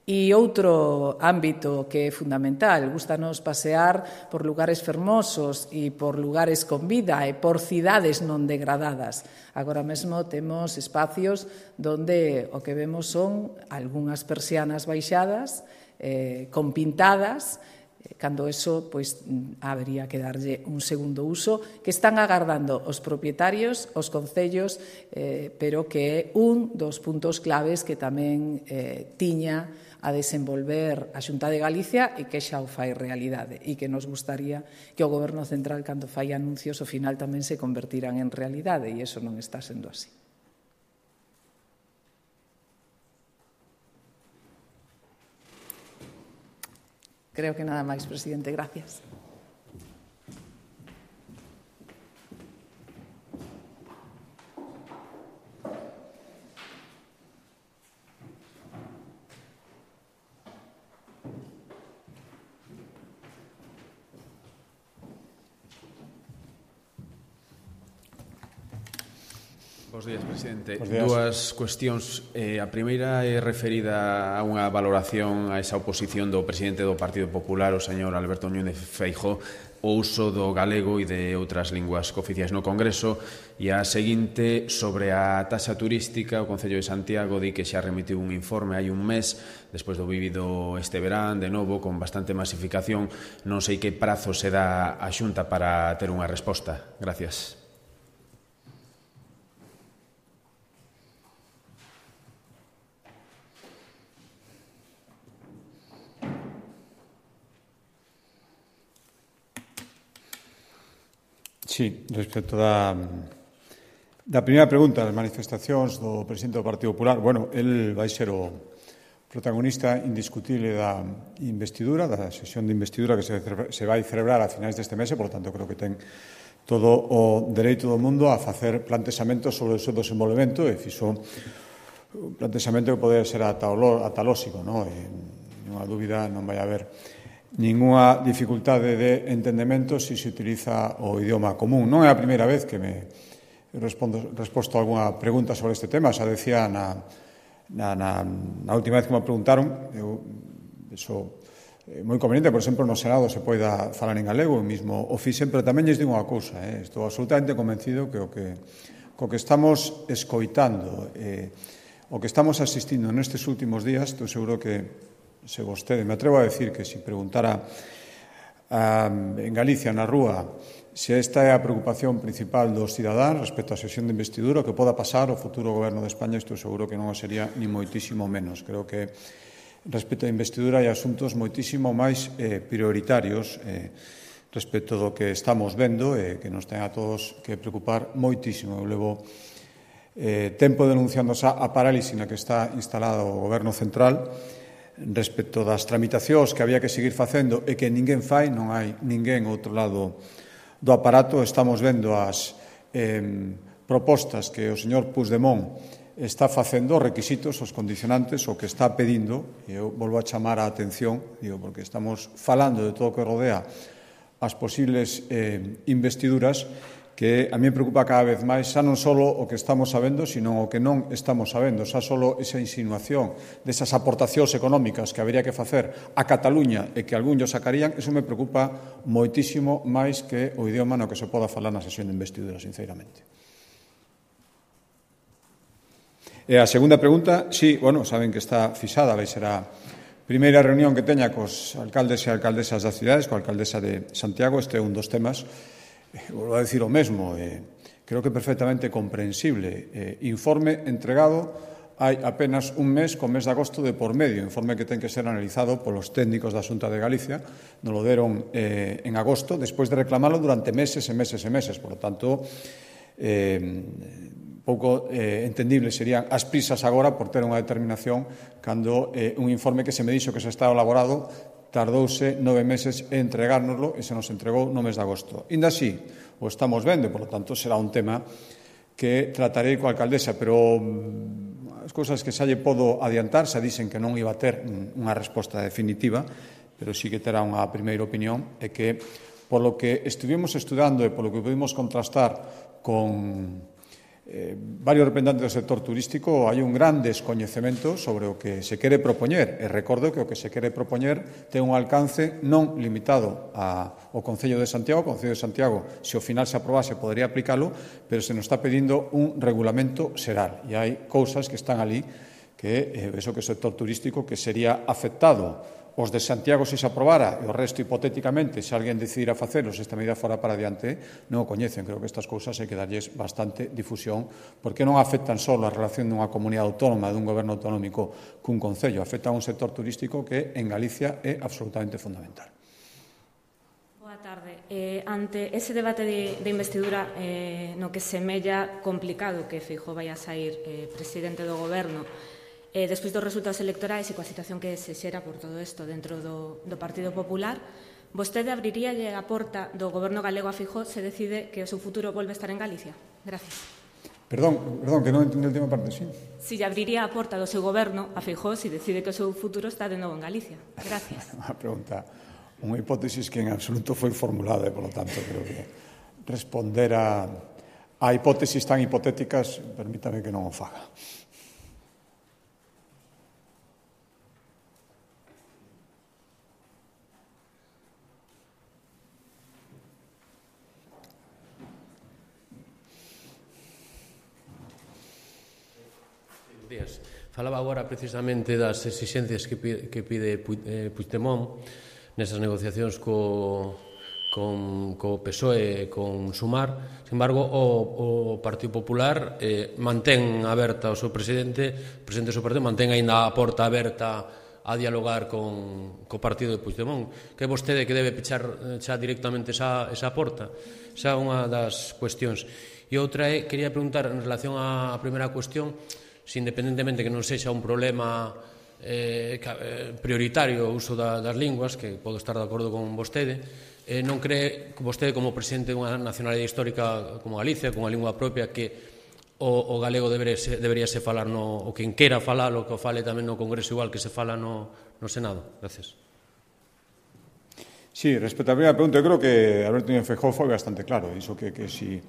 E outro ámbito que é fundamental, gústanos pasear por lugares fermosos e por lugares con vida e por cidades non degradadas. Agora mesmo temos espacios onde o que vemos son algunhas persianas baixadas, eh, con pintadas, cando eso pois habería que darlle un segundo uso que están agardando os propietarios, os concellos, eh, pero que é un dos puntos claves que tamén eh, tiña a desenvolver a Xunta de Galicia e que xa o fai realidade e que nos gustaría que o Goberno Central, cando fai anuncios, ao final tamén se convertiran en realidade e iso non está sendo así. Creo que nada máis, presidente. Gracias. Bos días, presidente. Bos días. Dúas cuestións. Eh, a primeira é referida a unha valoración a esa oposición do presidente do Partido Popular, o señor Alberto Núñez Feijóo, o uso do galego e de outras linguas cooficiais no Congreso, e a seguinte sobre a taxa turística. O Concello de Santiago di que xa remitiu un informe hai un mes, despois do vivido este verán, de novo, con bastante masificación. Non sei que prazo se dá a Xunta para ter unha resposta. Gracias. Sí, respecto da, da primeira pregunta, as manifestacións do presidente do Partido Popular, bueno, el vai ser o protagonista indiscutible da investidura, da sesión de investidura que se, se vai celebrar a finais deste mes, por lo tanto, creo que ten todo o dereito do mundo a facer plantexamentos sobre o seu desenvolvemento e fixo un plantexamento que pode ser atalóxico, non? E, non há dúbida, non vai haber ningunha dificultade de entendemento se se utiliza o idioma común. Non é a primeira vez que me respondo, resposto a algunha pregunta sobre este tema, xa decía na, na, na, na última vez que me preguntaron, eu, eso é moi conveniente, por exemplo, no Senado se poida falar en galego, eu mesmo o fixen, pero tamén lles digo unha cousa, eh, estou absolutamente convencido que o que, co que estamos escoitando, eh, o que estamos asistindo nestes últimos días, estou seguro que se vostede, me atrevo a decir que se preguntara um, en Galicia, na rúa, se esta é a preocupación principal dos cidadáns respecto á sesión de investidura, o que poda pasar o futuro goberno de España, estou seguro que non o sería ni moitísimo menos. Creo que respecto á investidura hai asuntos moitísimo máis eh, prioritarios eh, respecto do que estamos vendo e eh, que nos ten a todos que preocupar moitísimo. Eu levo eh, tempo denunciando xa a parálise na que está instalado o goberno central respecto das tramitacións que había que seguir facendo e que ninguén fai, non hai ninguén ao outro lado do aparato. Estamos vendo as eh, propostas que o señor Puigdemont está facendo, os requisitos, os condicionantes, o que está pedindo, e eu volvo a chamar a atención, digo, porque estamos falando de todo o que rodea as posibles eh, investiduras, que a mí me preocupa cada vez máis xa non só o que estamos sabendo, sino o que non estamos sabendo, xa só esa insinuación desas aportacións económicas que habería que facer a Cataluña e que algún yo sacarían, eso me preocupa moitísimo máis que o idioma no que se poda falar na sesión de investidura, sinceramente. E a segunda pregunta, sí, bueno, saben que está fixada, vai ser a primeira reunión que teña cos alcaldes e alcaldesas das cidades, coa alcaldesa de Santiago, este é un dos temas volvo a decir o mesmo, eh, creo que perfectamente comprensible. Eh, informe entregado hai apenas un mes, co mes de agosto de por medio, informe que ten que ser analizado polos técnicos da Xunta de Galicia, nos lo deron eh, en agosto, despois de reclamarlo durante meses e meses e meses, por lo tanto, eh, pouco eh, entendible serían as prisas agora por ter unha determinación cando eh, un informe que se me dixo que se estaba elaborado tardouse nove meses en entregárnoslo e se nos entregou no mes de agosto. Inda así, o estamos vendo, por lo tanto, será un tema que tratarei coa alcaldesa, pero as cousas que xa lle podo adiantar, xa dixen que non iba a ter unha resposta definitiva, pero sí que terá unha primeira opinión, é que, polo que estuvimos estudando e polo que pudimos contrastar con eh, varios representantes do sector turístico, hai un gran descoñecemento sobre o que se quere propoñer, e recordo que o que se quere propoñer ten un alcance non limitado ao Concello de Santiago. O Concello de Santiago, se ao final se aprobase, podería aplicalo, pero se nos está pedindo un regulamento xeral, e hai cousas que están ali que, eh, eso que o sector turístico, que sería afectado. Os de Santiago, se se aprobara, e o resto, hipotéticamente, se alguén decidira facelos, esta medida fora para adiante, non o coñecen. Creo que estas cousas hai que darlles bastante difusión, porque non afectan só a relación dunha comunidade autónoma, dun goberno autonómico cun concello, afectan a un sector turístico que en Galicia é absolutamente fundamental. Boa tarde. Eh, ante ese debate de, de investidura eh, no que semella complicado que Feijóo vai a sair eh, presidente do goberno, Eh, despois dos resultados electorais e coa situación que se xera por todo isto dentro do, do Partido Popular, vostede abriríalle a porta do goberno galego a Feijóo se decide que o seu futuro volve a estar en Galicia? Gracias. Perdón, perdón, que non entendí a última parte, sí. Si lle abriría a porta do seu goberno a Feijóo se decide que o seu futuro está de novo en Galicia. Gracias. Unha pregunta, unha hipótesis que en absoluto foi formulada e, por lo tanto, creo que responder a, a hipótesis tan hipotéticas, permítame que non o faga. Días. Falaba agora precisamente das exixencias que pide, que pide Puigdemont nesas negociacións co, con, co P S O E e con Sumar. Sin embargo, o, o Partido Popular eh, mantén aberta o seu presidente, o presidente do seu partido mantén aínda a porta aberta a dialogar con co partido de Puigdemont. Que é vostede que debe pechar xa directamente esa, esa porta? Xa unha das cuestións. E outra é, quería preguntar en relación á primeira cuestión, se independentemente que non sexa un problema eh, prioritario o uso da, das linguas, que podo estar de acordo con vostede, eh, non cree vostede como presidente dunha nacionalidade histórica como Galicia, con a lingua propia, que o, o galego debería ser, debería ser falar no, o quen quera falar, o que o fale tamén no Congreso igual que se fala no, no Senado? Gracias. Sí, respecto á primeira pregunta, eu creo que Alberto Núñez Feijóo foi bastante claro, iso que, que si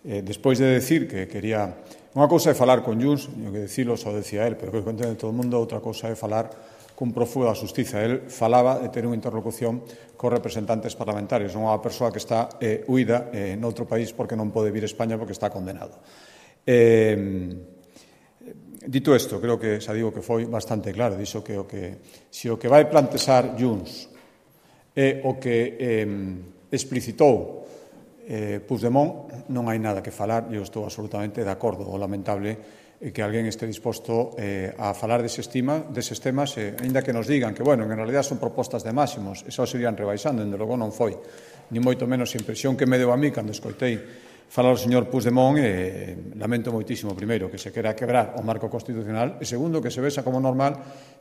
eh, despois de decir que quería. Unha cousa é falar con Junts, e que dicilo só decía el, pero que o entende todo o mundo, outra cousa é falar cun prófugo da Xustiza. El falaba de ter unha interlocución cos representantes parlamentarios, non unha persoa que está eh, huida eh, noutro país porque non pode vir a España porque está condenado. Eh, dito isto, creo que xa digo que foi bastante claro, dixo que o que se o que vai plantexar Junts é o que eh, explicitou Eh, Puigdemont, non hai nada que falar, eu estou absolutamente de acordo. O lamentable é que alguén este disposto eh, a falar deses, estima, deses temas, eh, ainda que nos digan que, bueno, en realidad son propostas de máximos, e só se irían rebaixando, dende logo non foi. Ni moito menos a impresión que me deu a mí cando escoitei falar o señor Puigdemont, eh, lamento moitísimo, primeiro, que se quera quebrar o marco constitucional, e segundo, que se vexa como normal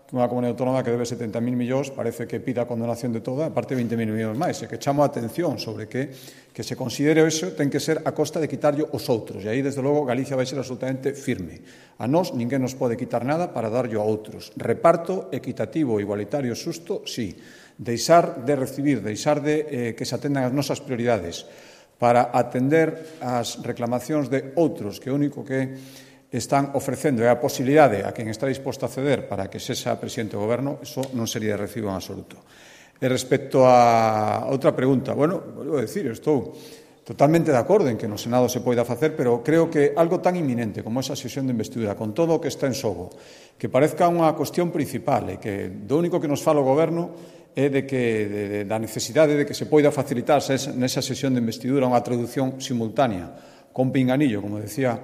que unha comunidade autónoma que debe setenta mil millóns parece que pida a condenación de toda, aparte veinte mil millóns máis, e que chamo a atención sobre que que se considere iso ten que ser a costa de quitarlle os outros, e aí, desde logo, Galicia vai ser absolutamente firme. A nós ninguén nos pode quitar nada para darlle a outros. Reparto equitativo, igualitario, xusto, sí. Deixar de recibir, deixar de eh, que se atendan as nosas prioridades para atender as reclamacións de outros, que o único que están ofrecendo é a posibilidade a quen está disposto a ceder para que sexa presidente do goberno, eso non sería de recibo en absoluto. E respecto a outra pregunta, bueno, vou dicir, estou totalmente de acordo en que no Senado se poida facer, pero creo que algo tan inminente como esa sesión de investidura, con todo o que está en xogo, que parezca unha cuestión principal e que do único que nos fala o goberno é de que, de, de, da necesidade de que se poida facilitar nesa sesión de investidura unha traducción simultánea con pinganillo, como decía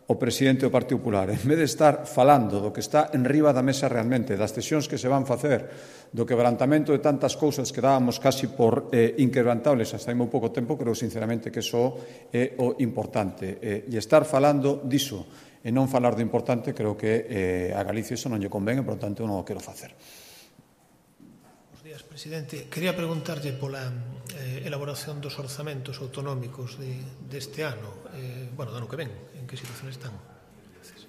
o presidente do Partido Popular, en vez de estar falando do que está en riba da mesa realmente, das cesións que se van facer, do quebrantamento de tantas cousas que dábamos casi por eh, inquebrantables hasta hai moi pouco tempo, creo sinceramente que iso é o importante. Eh, e estar falando diso e non falar do importante, creo que eh, a Galicia iso non lle convén e, por tanto, non o quero facer. Bos días, presidente. Quería preguntarlle pola eh, elaboración dos orzamentos autonómicos de, deste ano, eh, bueno, do ano que ven, en que situación están?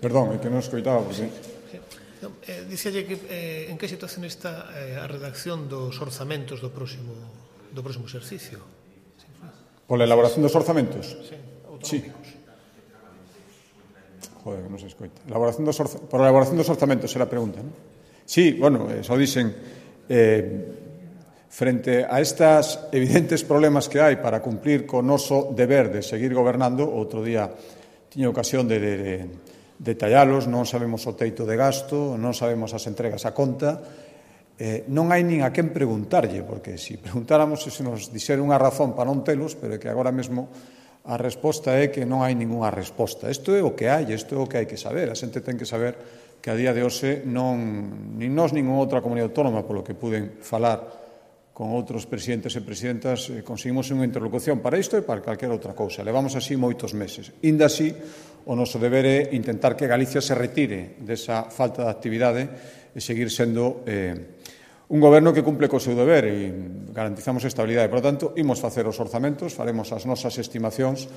Perdón, é que non escoitaba, porque... Sí. No, eh, dicelle que eh, en que situación está eh, a redacción dos orzamentos do próximo, do próximo exercicio? Sí. Pola elaboración dos orzamentos? Sí, autonómicos. Sí. Joder, que non se escoita. Elaboración dos orza... Por a elaboración dos orzamentos era a pregunta, non? Sí, bueno, eh, só dixen... Eh, frente a estas evidentes problemas que hai para cumplir co noso deber de seguir gobernando, outro día tiña ocasión de, de, de detallalos, non sabemos o teito de gasto, non sabemos as entregas a conta, eh, non hai nin a quen preguntarlle, porque se preguntáramos se nos dixera unha razón para non telos, pero é que agora mesmo a resposta é que non hai ningunha resposta. Isto é o que hai, isto é o que hai que saber. A xente ten que saber que a día de hoxe non, nin nós, nin outra comunidade autónoma, polo que puden falar con outros presidentes e presidentas, eh, conseguimos unha interlocución para isto e para calquera outra cousa. Levamos así moitos meses. Inda así, o noso deber é intentar que Galicia se retire desa falta de actividade e seguir sendo eh, un goberno que cumple co seu deber e garantizamos estabilidade. Por lo tanto, imos facer os orzamentos, faremos as nosas estimacións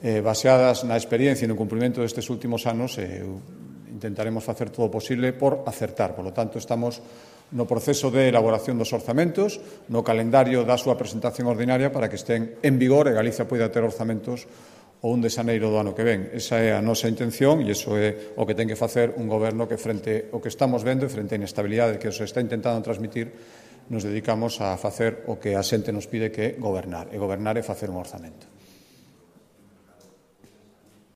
eh, baseadas na experiencia e no cumprimento destes últimos anos e eh, intentaremos facer todo o posible por acertar. Por lo tanto, estamos no proceso de elaboración dos orzamentos, no calendario da súa presentación ordinaria para que estén en vigor e Galicia poida ter orzamentos o un de xaneiro do ano que ven. Esa é a nosa intención e iso é o que ten que facer un goberno que frente ao que estamos vendo e frente á inestabilidade que se está intentando transmitir nos dedicamos a facer o que a xente nos pide que é gobernar. E gobernar é facer un orzamento.